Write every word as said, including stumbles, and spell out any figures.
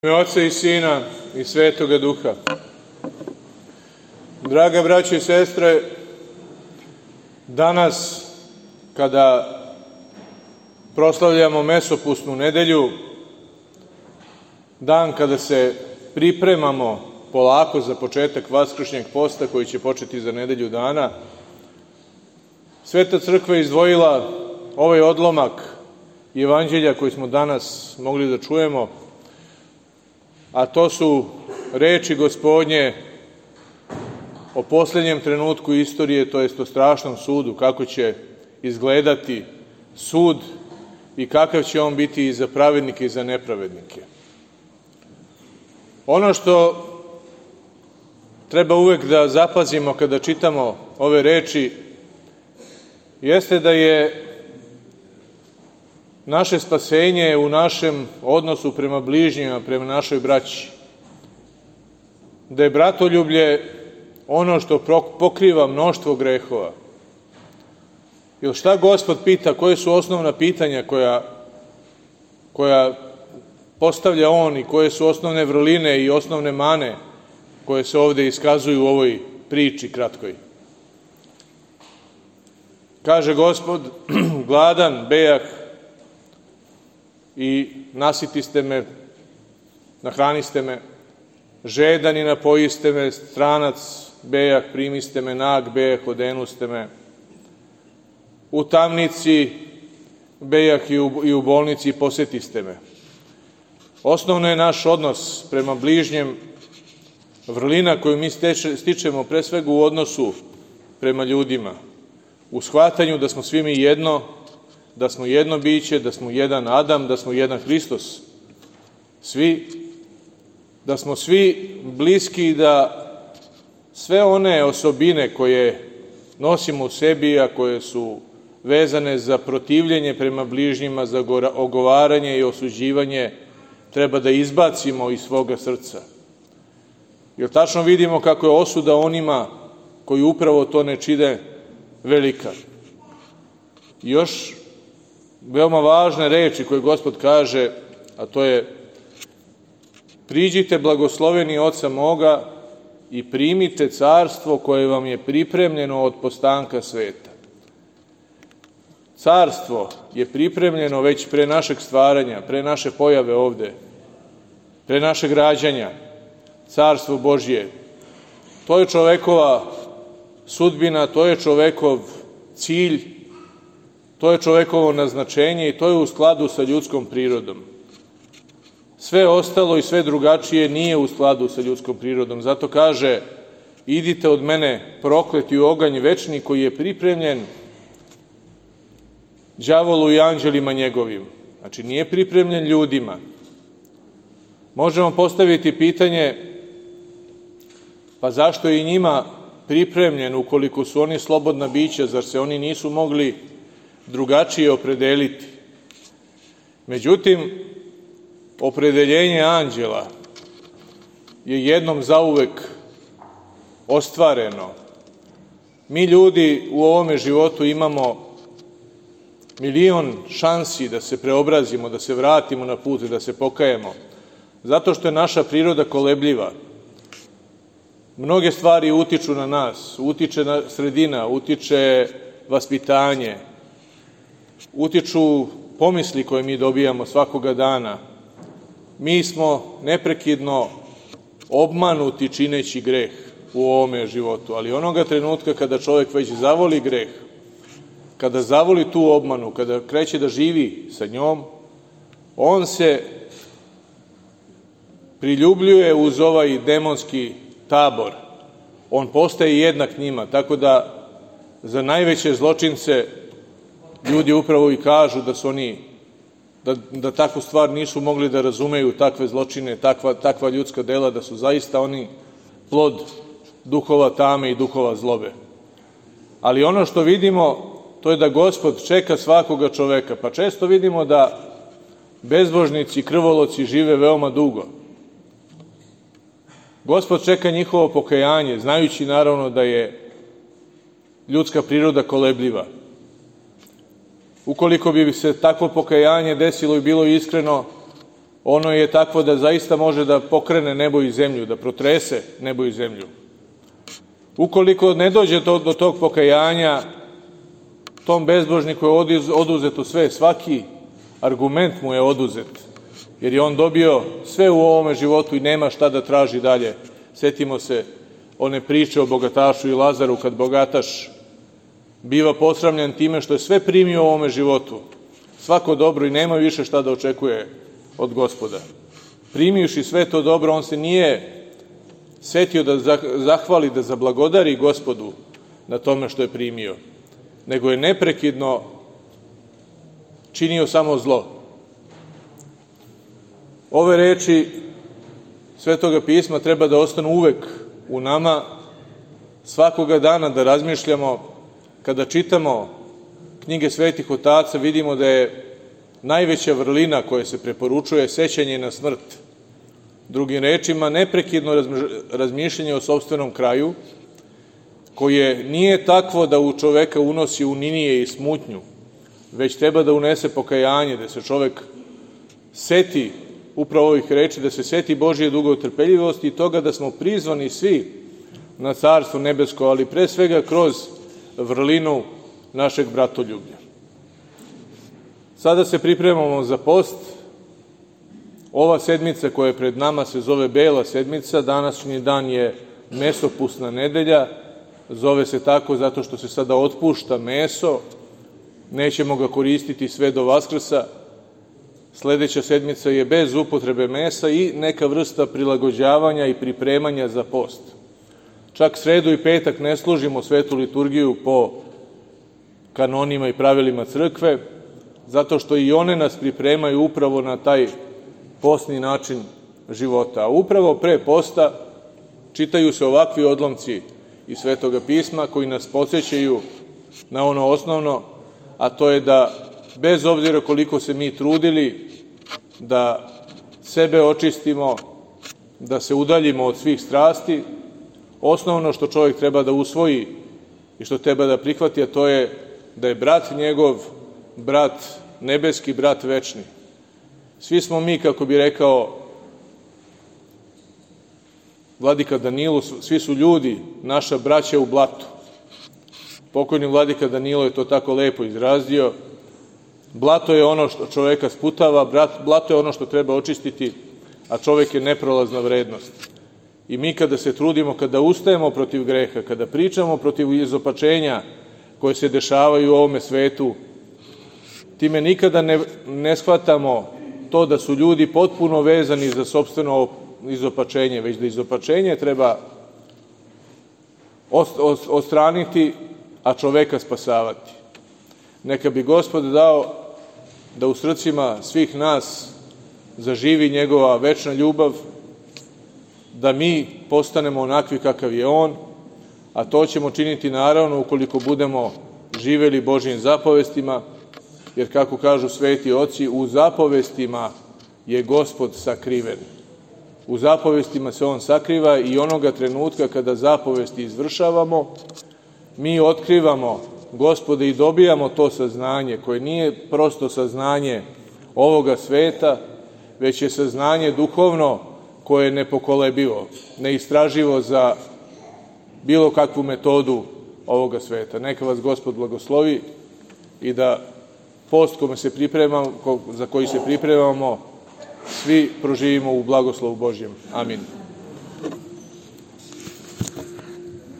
U ime Oca i Sina i Svetoga Duha. Draga braćo i sestre, danas kada proslavljamo Mesopusnu nedelju, dan kada se pripremamo polako za početak Vaskršnjeg posta koji će početi za nedelju dana, Sveta Crkva je izdvojila ovaj odlomak Evanđelja koji smo danas mogli da čujemo, a to su reči Gospodnje o posljednjem trenutku istorije, to jest o strašnom sudu, kako će izgledati sud i kakav će on biti i za pravednike i za nepravednike. Ono što treba uvek da zapazimo kada čitamo ove reči jeste da je naše spasenje u našem odnosu prema bližnjima, prema našoj braći. Da je bratoljublje ono što pokriva mnoštvo grehova. Jer šta Gospod pita, koje su osnovna pitanja koja, koja postavlja on i koje su osnovne vrline i osnovne mane koje se ovde iskazuju u ovoj priči kratkoj. Kaže Gospod, gladan bejah i nasitiste me, nahraniste me, žedan i napojiste me, stranac bejah, primiste me, nag bejah, odenuste me, u tamnici bejah i u, i u bolnici posetiste me. Osnovno je naš odnos prema bližnjem, vrlina koju mi steče, stičemo pre svega u odnosu prema ljudima, u shvatanju da smo svi mi jedno, da smo jedno biće, da smo jedan Adam, da smo jedan Hristos. Svi, da smo svi bliski i da sve one osobine koje nosimo u sebi, a koje su vezane za protivljenje prema bližnjima, za ogovaranje i osuđivanje, treba da izbacimo iz svoga srca. Jer tačno vidimo kako je osuda onima koji upravo to ne čine velika. I još veoma važne reči koje Gospod kaže, a to je: priđite blagosloveni Oca moga i primite carstvo koje vam je pripremljeno od postanka sveta. Carstvo je pripremljeno već pre našeg stvaranja, pre naše pojave ovde, pre našeg rađanja. Carstvo Božje. To je čovekova sudbina, to je čovekov cilj, to je čovekovo naznačenje i to je u skladu sa ljudskom prirodom. Sve ostalo i sve drugačije nije u skladu sa ljudskom prirodom. Zato kaže: idite od mene prokleti u oganj večni koji je pripremljen đavolu i anđelima njegovim. Znači, nije pripremljen ljudima. Možemo postaviti pitanje: pa zašto je i njima pripremljen ukoliko su oni slobodna bića, zar se oni nisu mogli drugačije opredeliti? Međutim, opredeljenje anđela je jednom zauvek ostvareno. Mi ljudi u ovome životu imamo milion šansi da se preobrazimo, da se vratimo na put i da se pokajemo, zato što je naša priroda kolebljiva. Mnoge stvari utiču na nas, utiče na sredina, utiče vaspitanje, utiču pomisli koje mi dobijamo svakoga dana. Mi smo neprekidno obmanuti čineći greh u ovome životu, ali onoga trenutka kada čovjek već zavoli greh, kada zavoli tu obmanu, kada kreće da živi sa njom, on se priljubljuje uz ovaj demonski tabor. On postaje jednak njima, tako da za najveće zločince ljudi upravo i kažu da su oni, da, da takvu stvar nisu mogli da razumeju, takve zločine, takva, takva ljudska dela, da su zaista oni plod duhova tame i duhova zlobe. Ali ono što vidimo, to je da Gospod čeka svakoga čoveka. Pa često vidimo da bezbožnici, krvoloci žive veoma dugo. Gospod čeka njihovo pokajanje, znajući naravno da je ljudska priroda kolebljiva. Ukoliko bi se takvo pokajanje desilo i bilo iskreno, ono je takvo da zaista može da pokrene nebo i zemlju, da protrese nebo i zemlju. Ukoliko ne dođe do, do tog pokajanja, tom bezbožniku je oduzeto sve, svaki argument mu je oduzet, jer je on dobio sve u ovome životu i nema šta da traži dalje. Setimo se one priče o bogatašu i Lazaru, kad bogataš biva posramljen time što je sve primio u ovome životu, svako dobro, i nema više šta da očekuje od Gospoda. Primivši sve to dobro, on se nije setio da zahvali, da zablagodari Gospodu na tome što je primio, nego je neprekidno činio samo zlo. Ove reči Svetoga pisma treba da ostanu uvek u nama, svakoga dana da razmišljamo. Kada čitamo knjige svetih otaca, vidimo da je najveća vrlina koja se preporučuje sećanje na smrt. Drugim rečima, neprekidno razmišljanje o sopstvenom kraju, koje nije takvo da u čoveka unosi uninije i smutnju, već treba da unese pokajanje, da se čovek seti upravo ovih reči, da se seti Božije dugotrpeljivosti i toga da smo prizvani svi na Carstvo nebesko, ali pre svega kroz vrlinu našeg bratoljublja. Sada se pripremamo za post. Ova sedmica koja je pred nama se zove Bela sedmica, današnji dan je mesopusna nedelja, zove se tako zato što se sada otpušta meso, nećemo ga koristiti sve do Vaskrsa. Sledeća sedmica je bez upotrebe mesa i neka vrsta prilagođavanja i pripremanja za post. Čak sredu i petak ne služimo svetu liturgiju po kanonima i pravilima crkve, zato što i one nas pripremaju upravo na taj postni način života. A upravo pre posta čitaju se ovakvi odlomci iz Svetoga pisma koji nas podsjećaju na ono osnovno, a to je da bez obzira koliko se mi trudili da sebe očistimo, da se udaljimo od svih strasti, osnovno što čovjek treba da usvoji i što treba da prihvati, a to je da je brat njegov, brat nebeski, brat večni. Svi smo mi, kako bi rekao vladika Danilo, svi su ljudi, naša braća u blatu. Pokojni vladika Danilo je to tako lepo izrazio. Blato je ono što čoveka sputava, blato je ono što treba očistiti, a čovek je neprolazna vrednost. I mi kada se trudimo, kada ustajemo protiv greha, kada pričamo protiv izopačenja koje se dešavaju u ovome svetu, time nikada ne, ne shvatamo to da su ljudi potpuno vezani za sopstveno izopačenje, već da izopačenje treba odstraniti, a čoveka spasavati. Neka bi Gospod dao da u srcima svih nas zaživi njegova večna ljubav, da mi postanemo onakvi kakav je on, a to ćemo činiti naravno ukoliko budemo živeli Božjim zapovestima, jer kako kažu sveti oci, u zapovestima je Gospod sakriven. U zapovestima se on sakriva i onoga trenutka kada zapovesti izvršavamo, mi otkrivamo Gospode i dobijamo to saznanje koje nije prosto saznanje ovoga sveta, već je saznanje duhovno koje je nepokolebivo, neistraživo za bilo kakvu metodu ovoga sveta. Neka vas Gospod blagoslovi i da post kome se pripremamo, za koji se pripremamo, svi proživimo u blagoslovu Božjem. Amin.